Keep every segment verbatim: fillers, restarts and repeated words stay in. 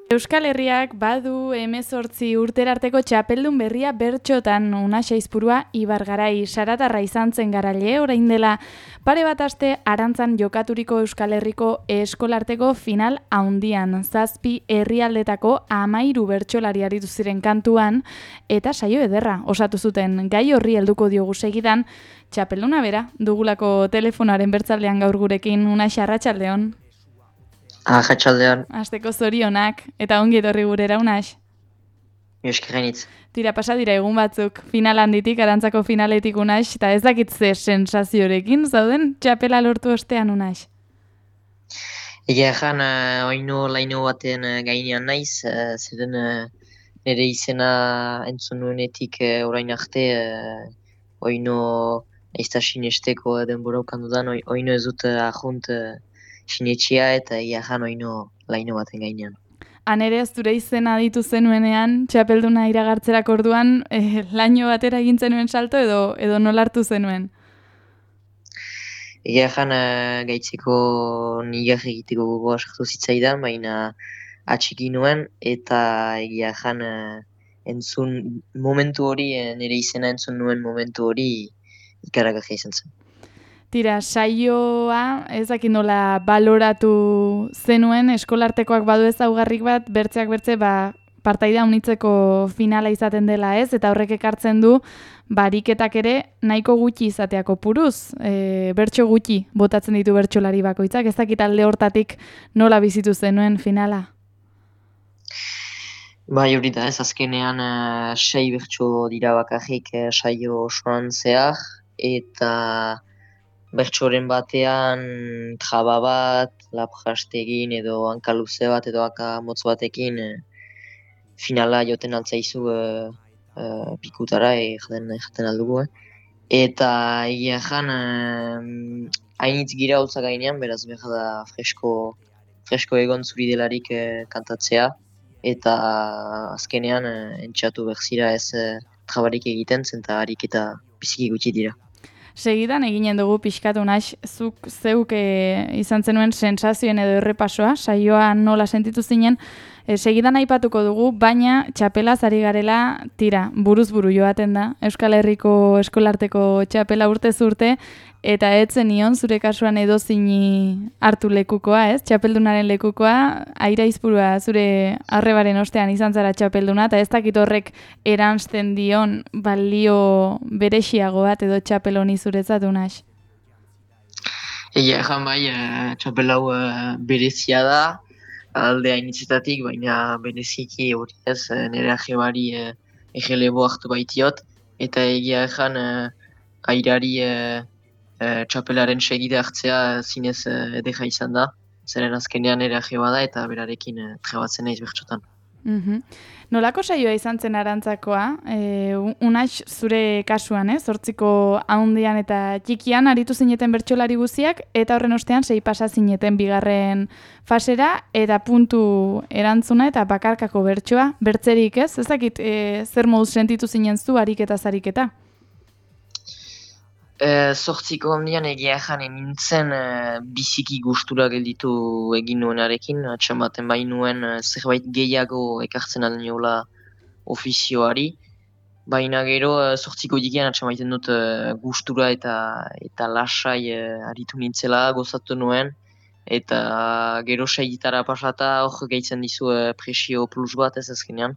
Euskal Herriak badu hemezortzi urterarteko txapeldun berria bertxotan. Unax Aizpurua Ibargarai Saratarra izan zen garaile, orain dela pare bat aste Arantzan jokaturiko Euskal Herriko eskolarteko final haundian. Zazpi herrialdetako amairu bertsolari aritu ziren kantuan, eta saio ederra osatu zuten. Gai horri helduko diogu segidan, txapelduna bera dugulako telefonoaren bertzaldean gaur gurekin. Unax, arratsaldeon. Arratsaldean. Asteko zorionak, eta ongi etorri gurera, Unax. Euskerenitz. Tira, pasa dira egun batzuk, final handitik, Arantzako finaletik, Unax, eta ez dakit ze sensaziorekin, zauden txapela lortu ostean, Unax? Egia ezan, uh, oino laino baten uh, gainean naiz, uh, zeren uh, nire izena entzun nuenetik uh, orain arte, uh, oino aizta sinesteko denbora ukan dudan, oino ez dut uh, ahunt uh, sinetxia eta egia ezan oino laino baten gainean. Han ere ez zure izena ditu zenuenean, txapelduna iragartzerak orduan, eh, laino batera egin zenuen salto edo, edo nolartu zenuen? Egia ezan, uh, gaitzeko nigar egiteko gogoa sartu zitzaidan, baina atxiki nuen, eta egia ezan uh, entzun momentu hori, uh, nire izena entzun nuen momentu hori ikaragarria izan zen. Tira, saioa, ez dakit nola baloratu zenuen, eskolartekoak badu ezaugarrik bat, bertzeak bertze, ba, partaida unitzeko finala izaten dela ez, eta horrek ekartzen du, bariketak ere nahiko gutxi izateako puruz, e, bertso gutxi botatzen ditu bertsolari bakoitzak, ez dakit alde hortatik nola bizitu zenuen finala? Bai, hori da ez, azkenean uh, sei bertso dira bakarrik uh, saio osoan zehar, eta bertsoren batean traba bat, lapjastegin edo hankaluze bat edo haka motz batekin e, finala joten altzaizu e, e, pikutara jaten, jaten aldugu. Eh. Eta egia ezan, hainitz gira holtza gainean, beraz behar da fresko, fresko egon zuri delarik e, kantatzea. Eta azkenean e, entxatu berzira ez e, trabarik egiten zen eta harik eta biziki gutxi dira. Segidan eginen dugu pixkatu Unax, zuk zeuk e, izan zenuen sensazioen edo errepasoa, saioa nola sentitu zinen, e, segidan aipatuko dugu, baina txapelaz ari garela, tira, buruz buru joaten da, Euskal Herriko eskolarteko txapela urtez urte, eta etzen nion zure kasuan edo zini hartu lekukoa, ez? Txapeldunaren lekukoa, Aira Aizpurua zure arrebaren ostean izan zara txapelduna, eta ez dakit horrek eransten dion balio berexiago bat edo txapel honi zuretzat, Unax? Egia ezan bai, txapel hau berezia da, alde hainitzetatik, baina bereziki hori ez, nire ajebari egelebo hartu baitiot, eta egia ezan Airari E, txapelaren segide hartzea zinez e, edera izan da, zeren azkenean ere ajeba da eta berarekin e, trebatzen naiz bertxotan. Mm-hmm. Nolako saioa izan zen Arantzakoa? E, Unax zure kasuan, eh? Zortziko haundian eta txikian aritu zineten bertsolari guziak, eta horren ostean sei pasa zineten bigarren fasera, eta puntu erantzuna eta bakarkako bertsoa, bertzerik ez? Ez dakit e, zer moduz sentitu zinen zu ariketa zariketa? Zortziko e, ondian egia ezan nintzen e, biziki gustura gelditu egin nuenarekin, atxamaten bai nuen e, zerbait gehiago ekartzen alniola ofizioari, baina gero zortziko dikian atxamaiten dut e, gustura eta eta lasai e, aritu nintzela, gozatu nuen, eta gero segitara pasata hor gehitzen dizu e, presio plus bat ez azkenean.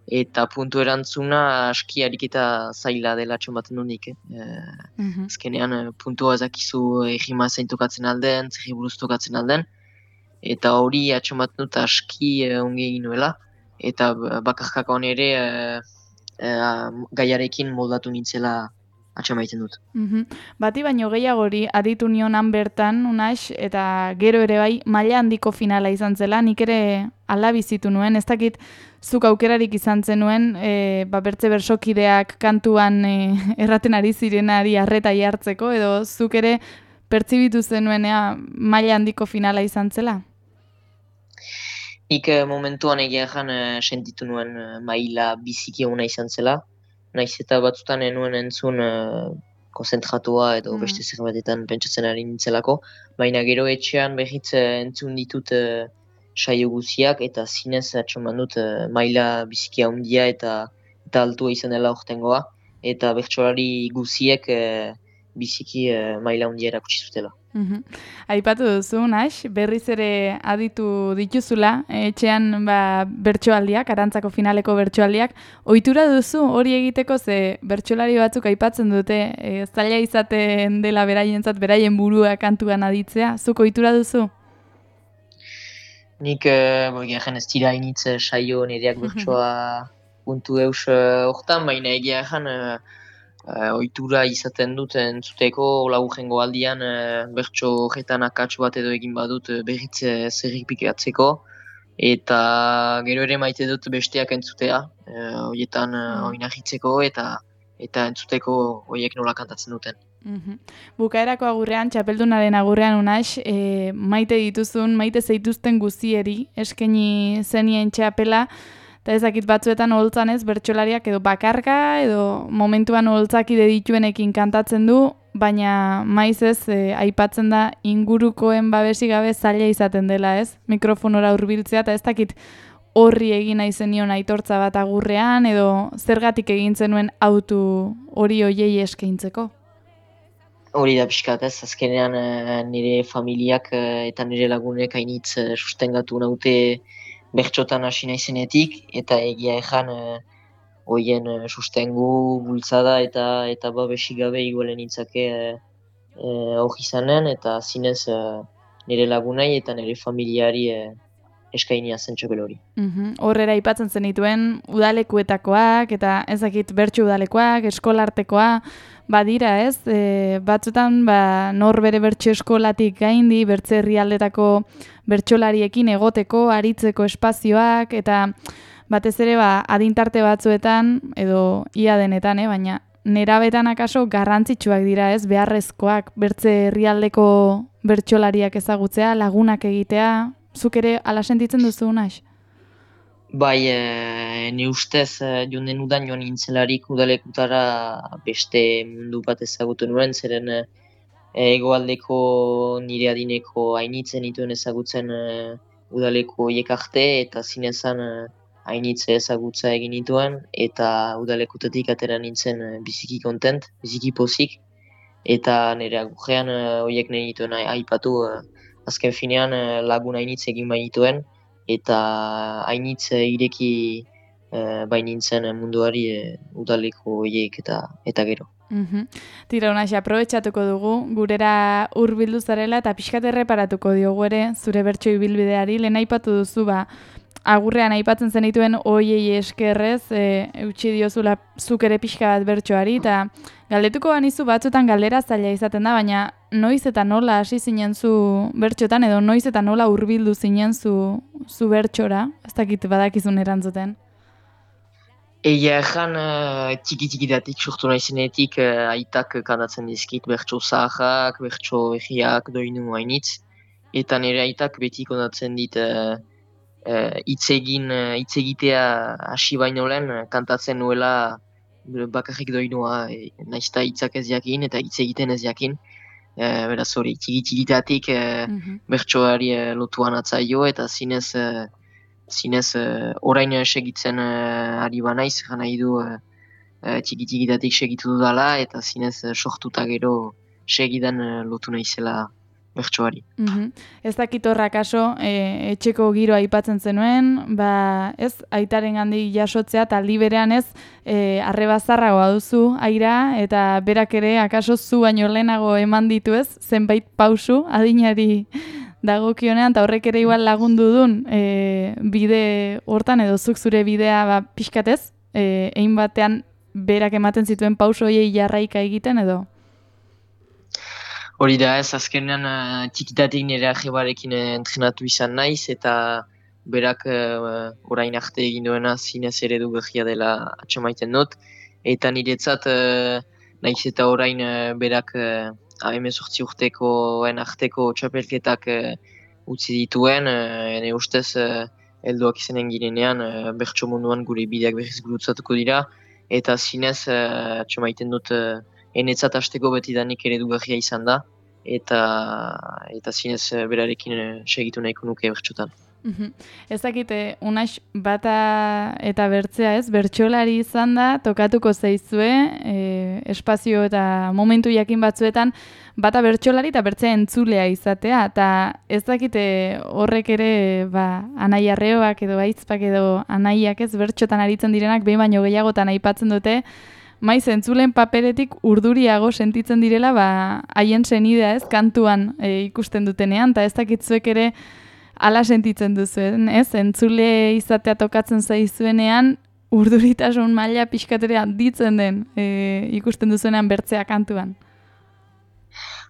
Eta puntu erantzuna aski ariketa zaila dela txomaten dunik. Eh? Mm-hmm. Azkenean puntua ezakizu egima zein tokatzen alden, zerri buruz tokatzen alden. Eta hori atxomaten dut aski eh, ongi egin nuela. Eta bakarkaka hon ere eh, eh, gaiarekin moldatu nintzela atxamaiten dut. Mm-hmm. Bati baino gehiagori aditu nionan bertan, Unax, eta gero ere bai maila handiko finala izan zela, nik ere ala bizitu nuen, ez dakit zuk aukerarik izan zenuen, e, ba, bertze bersokideak kantuan e, erraten ari zirenari arreta jartzeko, edo zuk ere pertsibitu zenuenea maila handiko finala izan zela? Nik eh, momentuan egia ezan eh, sentitu nuen eh, maila biziki ona izan zela, naiz eta batzutan enuen entzun eh, konzentratua edo mm. beste zerbatetan pentsatzen ari nintzelako, baina gero etxean behitz entzun ditut eh, saio guziak, eta zinez atxeman dut uh, maila biziki handia eta eta altua izan dela ortengoa, eta bertsolari guziek uh, biziki uh, maila handia erakutsi zutela. Mhm. Aipatu duzu, Nax, berriz ere aditu dituzula, etxean ba, bertsoaldiak, Arantzako finaleko bertsoaldiak. Ohitura duzu hori egiteko, ze bertsolari batzuk aipatzen dute, e, zaila izaten dela beraientzat, beraien burua kantuan aditzea. Zuk ohitura duzu? Nik, uh, egin ez dira initz saio nireak bertsoa puntu eus hortan, baina egia ezan uh, uh, ohitura izaten dut entzuteko, laburrengo aldian uh, bertso horretan akatsu bat edo egin badut uh, berriz uh, zerripikatzeko, eta gero ere maite dut besteak entzutea, uh, horietan uh, oinahitzeko eta eta entzuteko horiek nola kantatzen duten. Mm-hmm. Bukaerako agurrean, txapeldunaren agurrean Unax, e, maite dituzun, maite zeituzten guzieri, eskaini zenien txapela, eta ezakit batzuetan oholtzan ez, bertsolariak edo bakarka, edo momentuan oholtzakide dituenekin kantatzen du, baina maiz ez, e, aipatzen da ingurukoen babesi gabe zaila izaten dela ez, mikrofonora hurbiltzea, eta ez dakit horri egin nahi zenion aitortza bat agurrean, edo zergatik egin zenuen autu hori hoiei eskaintzeko. Hori da pixkat ez, azkenean nire familiak eta nire lagunek hainitz sustengatu naute bertxotan hasi naizenetik, eta egia ezan horien sustengu, bultzada eta eta babesik gabe igualen nintzake hor izanen, eta zinez nire lagunai eta nire familiari eskainia zen txapel hori. Mm-hmm. Horrera aipatzen zenituen udalekuetakoak eta ezakit bertsu udalekoak, eskolartekoa, badira ez, e, batzutan ba, nor bere bertso eskolatik gaindi, bertze herrialdetako bertsolariekin egoteko, aritzeko espazioak, eta batez ere ba, adintarte batzuetan, edo ia denetan, eh, baina nerabetan akaso garrantzitsuak dira ez, beharrezkoak, bertze herrialdeko bertsolariak ezagutzea, lagunak egitea. Zuk ere ala sentitzen duzu, Nax? Bai, e, ni ustez e, joan udan joan nintzelarik udalekutara beste mundu bat ezagutu nuen, zeren e, hegoaldeko nire adineko hainitzen dituen ezagutzen e, udaleko hiek arte, eta zinezan e, hainitze ezagutza egin dituen, eta udalekutatik atera nintzen e, biziki kontent, biziki pozik, eta nire agurrean e, horiek nahi dituen aipatu, e, azken finean e, lagun hainitz egin bainituen, eta hainitz ireki e, bainintzen munduari e, udaleko horiek eta, eta gero. Mm-hmm. Tira, Unax, aprobetxatuko dugu, gurera hurbildu zarela eta pixkat erreparatuko diogu ere zure bertso ibilbideari, lehen aipatu duzu ba, agurrean aipatzen zenituen hoiei eskerrez, e, eutxi diozula zuk ere pixka bat bertsoari, eta galdetuko banizu batzutan galdera zaila izaten da, baina noiz eta nola hasi zinen zu bertxotan, edo noiz eta nola hurbildu zinen zu, zu bertxora, ez dakit badakizun erantzuten. Egia ezan, txiki-txikitatik sortu naizenetik aitak kantatzen dizkit bertso zaharrak, bertso egiak, doinu hainitz, eta nire aitak beti kontatzen dit hitz egin, hitz egitea hasi baino lehen kantatzen nuela bakarrik doinua, e, naizta hitzak ez jakin eta hitz egiten ez jakin. E, beraz hori, txiki-txikitatik e, mm-hmm. bertsoari e, lotuan atzaio, eta zinez e, zinez uh, orain segitzen uh, ari banaiz, gana idu uh, uh, txiki-txikitatik segitu dudala, eta zinez uh, sortuta gero segidan uh, lotu naizela bertsoari. Mm-hmm. Ez dakit horrak aso, e, etxeko giroa aipatzen zenuen, ba, ez, aitaren gandik jasotzea, eta aldi berean ez, e, arrebazarragoa duzu aira, eta berak ere, akaso zu baino lehenago eman ditu ez, zenbait pausu, adinari dagokionean, eta horrek ere igual lagundu dun e, bide hortan, edo zuk zure bidea ba, pixkatez, e, egin batean berak ematen zituen pauso hoiei jarraika egiten, edo? Hori da ez, azkenean uh, txikitatik nire ajebarekin entrenatu izan naiz, eta berak uh, orain arte egin duena zinez eredu gehia dela atxamaiten dut, eta niretzat uh, naiz eta orain uh, berak uh, hemezortzi urtekoen arteko txapelketak uh, utzi dituen, uh, ene ustez uh, helduak izanen girenean uh, bertso munduan gure bideak berriz gurutzatuko dira, eta zinez uh, atxamaiten dut uh, enetzat hasteko betidanik eredugarria izan da, eta eta zinez uh, berarekin uh, segitu nahiko nuke bertsotan. Ez dakite, unax bata eta bertzea ez, bertsolari izan da, tokatuko zaizue, e, espazio eta momentu jakin batzuetan, bata bertsolari eta bertzea entzulea izatea, eta ez dakite horrek ere, ba, anai arreoak edo aizpak edo anaiak ez, bertxotan aritzen direnak, behin baino gehiagotan aipatzen dute, maiz entzulen paperetik urduriago sentitzen direla, ba, haien senidea ez, kantuan e, ikusten dutenean, eta ez dakitzuek ere, ala sentitzen duzuen, ez? Entzule izatea tokatzen zaizuenean, urduritasun maila pixkaterea ditzen den e, ikusten duzuenean bertzea kantuan.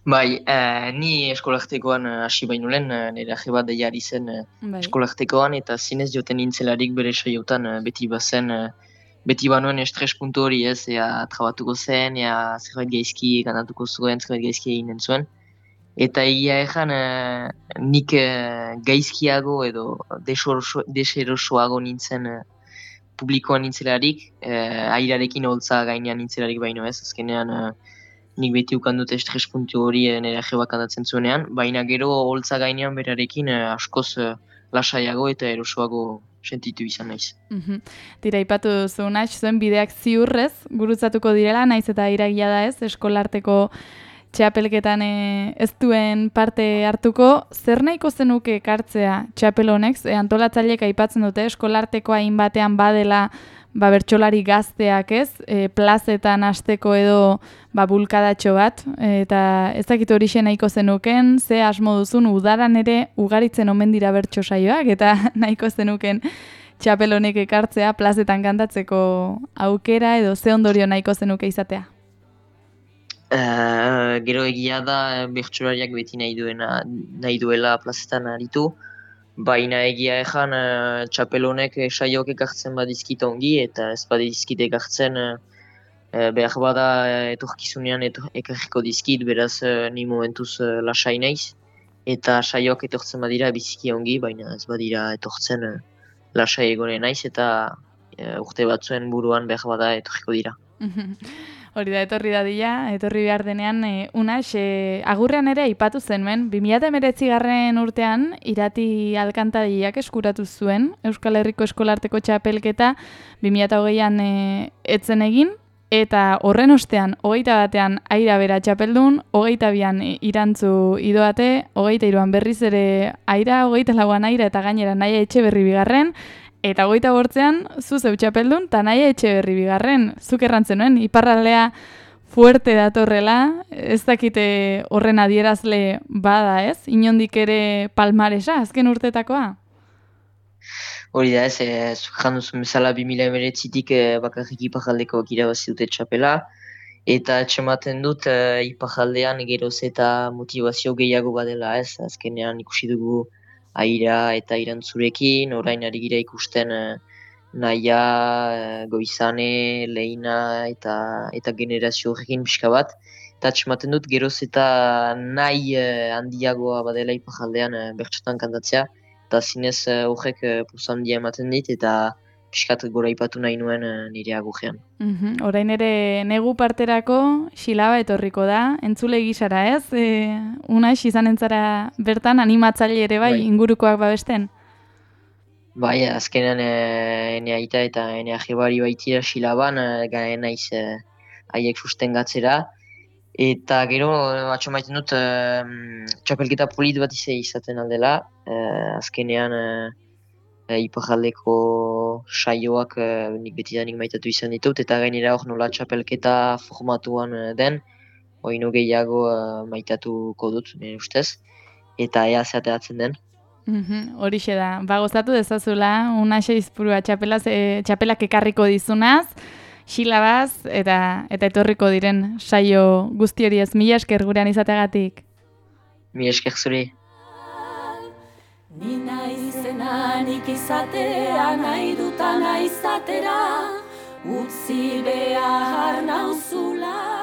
Bai, eh, ni eskolartekoan hasi baino lehen, nire agi bat deiari zen eh, Bai. eskolartekoan, eta zinez joten nintzelarik bere saiotan eh, beti bazen, eh, beti banuen estres puntu hori ez, ea trabatuko zen, ea zerbait gaizki ganatuko zuen, zerbait gaizki eginen zuen. Eta egia ezan, eh, nik eh, gaizkiago edo deserosoago nintzen eh, publikoan nintzelarik, eh, airarekin holtza gainean nintzelarik baino ez, azkenean eh, nik beti ukandut estres puntu hori eh, nire jebak handatzen zuenean, baina gero holtza gainean berarekin eh, askoz eh, lasaiago eta erosoago sentitu izan naiz. Mhm. Tira, ipatu duzu, nahi, zuen bideak ziurrez, gurutzatuko direla, naiz eta iragia da ez, eskolarteko txapelketan e, ez duen parte hartuko, zer nahiko zenuke ekartzea txapel honek, e, antolatzaileek aipatzen dute, eskolarteko hainbatean badela ba, bertsolari gazteak ez, e, plazetan hasteko edo ba, bulkadatxo bat, e, eta ez dakit horixe nahiko zenuken, ze asmo duzun udaran ere ugaritzen omen dira bertso saioak, eta nahiko zenuken txapel honek ekartzea plazetan kantatzeko aukera edo ze ondorio nahiko zenuke izatea. Uh, gero egia da bertsolariak beti nahi duena nahi duela plazetan aritu, baina egia ezan uh, txapel honek saiok ekartzen badizkit ongi eta ez badizkit ekartzen uh, behar bada etorkizunean etor, ekarriko dizkit, beraz uh, ni momentuz uh, lasai naiz eta saiok etortzen badira biziki ongi, baina ez badira etortzen uh, lasai egonen naiz eta uh, urte batzuen buruan behar bada etorriko dira. Hori da, etorri dadila, etorri behar denean, e, unax, e, agurrean ere aipatu zenuen, bi mila hemeretzi garren urtean, Irati Alkantariak eskuratu zuen, Euskal Herriko Eskolarteko txapelketa, bi mila hogeian e, etzen egin, eta horren ostean, hogeita batean aira bera txapeldun, hogeita bian irantzu idoate, hogeita iruan berriz ere aira, hogeita lauan aira eta gainera nahi etxe berri bigarren, eta hogeita bortzean, zu zeu txapeldun, eta nahi etxe berri bigarren, zuk errantzen nuen, iparraldea fuerte datorrela, ez dakite horren adierazle bada ez, inondik ere palmaresa, azken urtetakoa? Hori da ez, e, zuk janduzun bezala bi mila hemeretzitik e, bakarrik iparraldekoak irabazi dute txapela, eta etxematen dut e, iparraldean geroz eta motivazio gehiago badela ez, azkenean ikusi dugu aira eta irantzurekin, orain ari gira ikusten eh, naia, eh, goizane, lehina eta eta generazio horrekin pixka bat. Eta atxematen dut geroz eta nahi eh, handiagoa badela iparraldean eh, bertsotan kantatzea. Eta zinez eh, horrek eh, pulsa handia ematen dit eta pixkat gora ipatu nahi nuen eh, nire agurrean. Mm-hmm. Orain ere negu parterako xilaba etorriko da, entzule gisara ez? E, Unax izan entzara bertan animatzaile ere bai, bai. Ingurukoak babesten? Bai, azkenean e, ene aita eta ene ajebari baitira xilaban, e, garen naiz haiek e, sustengatzera. Eta gero, atxo maiten dut, e, txapelketa polit bat izaten aldela, e, azkenean e, e, iparraldeko saioak e, nik betidanik maitatu izan ditut, eta gainera hor nola txapelketa formatuan e, den, oino gehiago e, maitatuko dut, nire ustez, eta ea zeateatzen den. Mm-hmm. Horixe da, ba gozatu dezazula, Unaxe Izpurua txapelaz, e, txapelak ekarriko dizunaz, xilabaz, eta eta etorriko diren saio guzti hori ez, mila esker gurean izateagatik. Mila esker zuri. Ni naizena nik izatea nahi dutana izatera, utzi behar nauzula.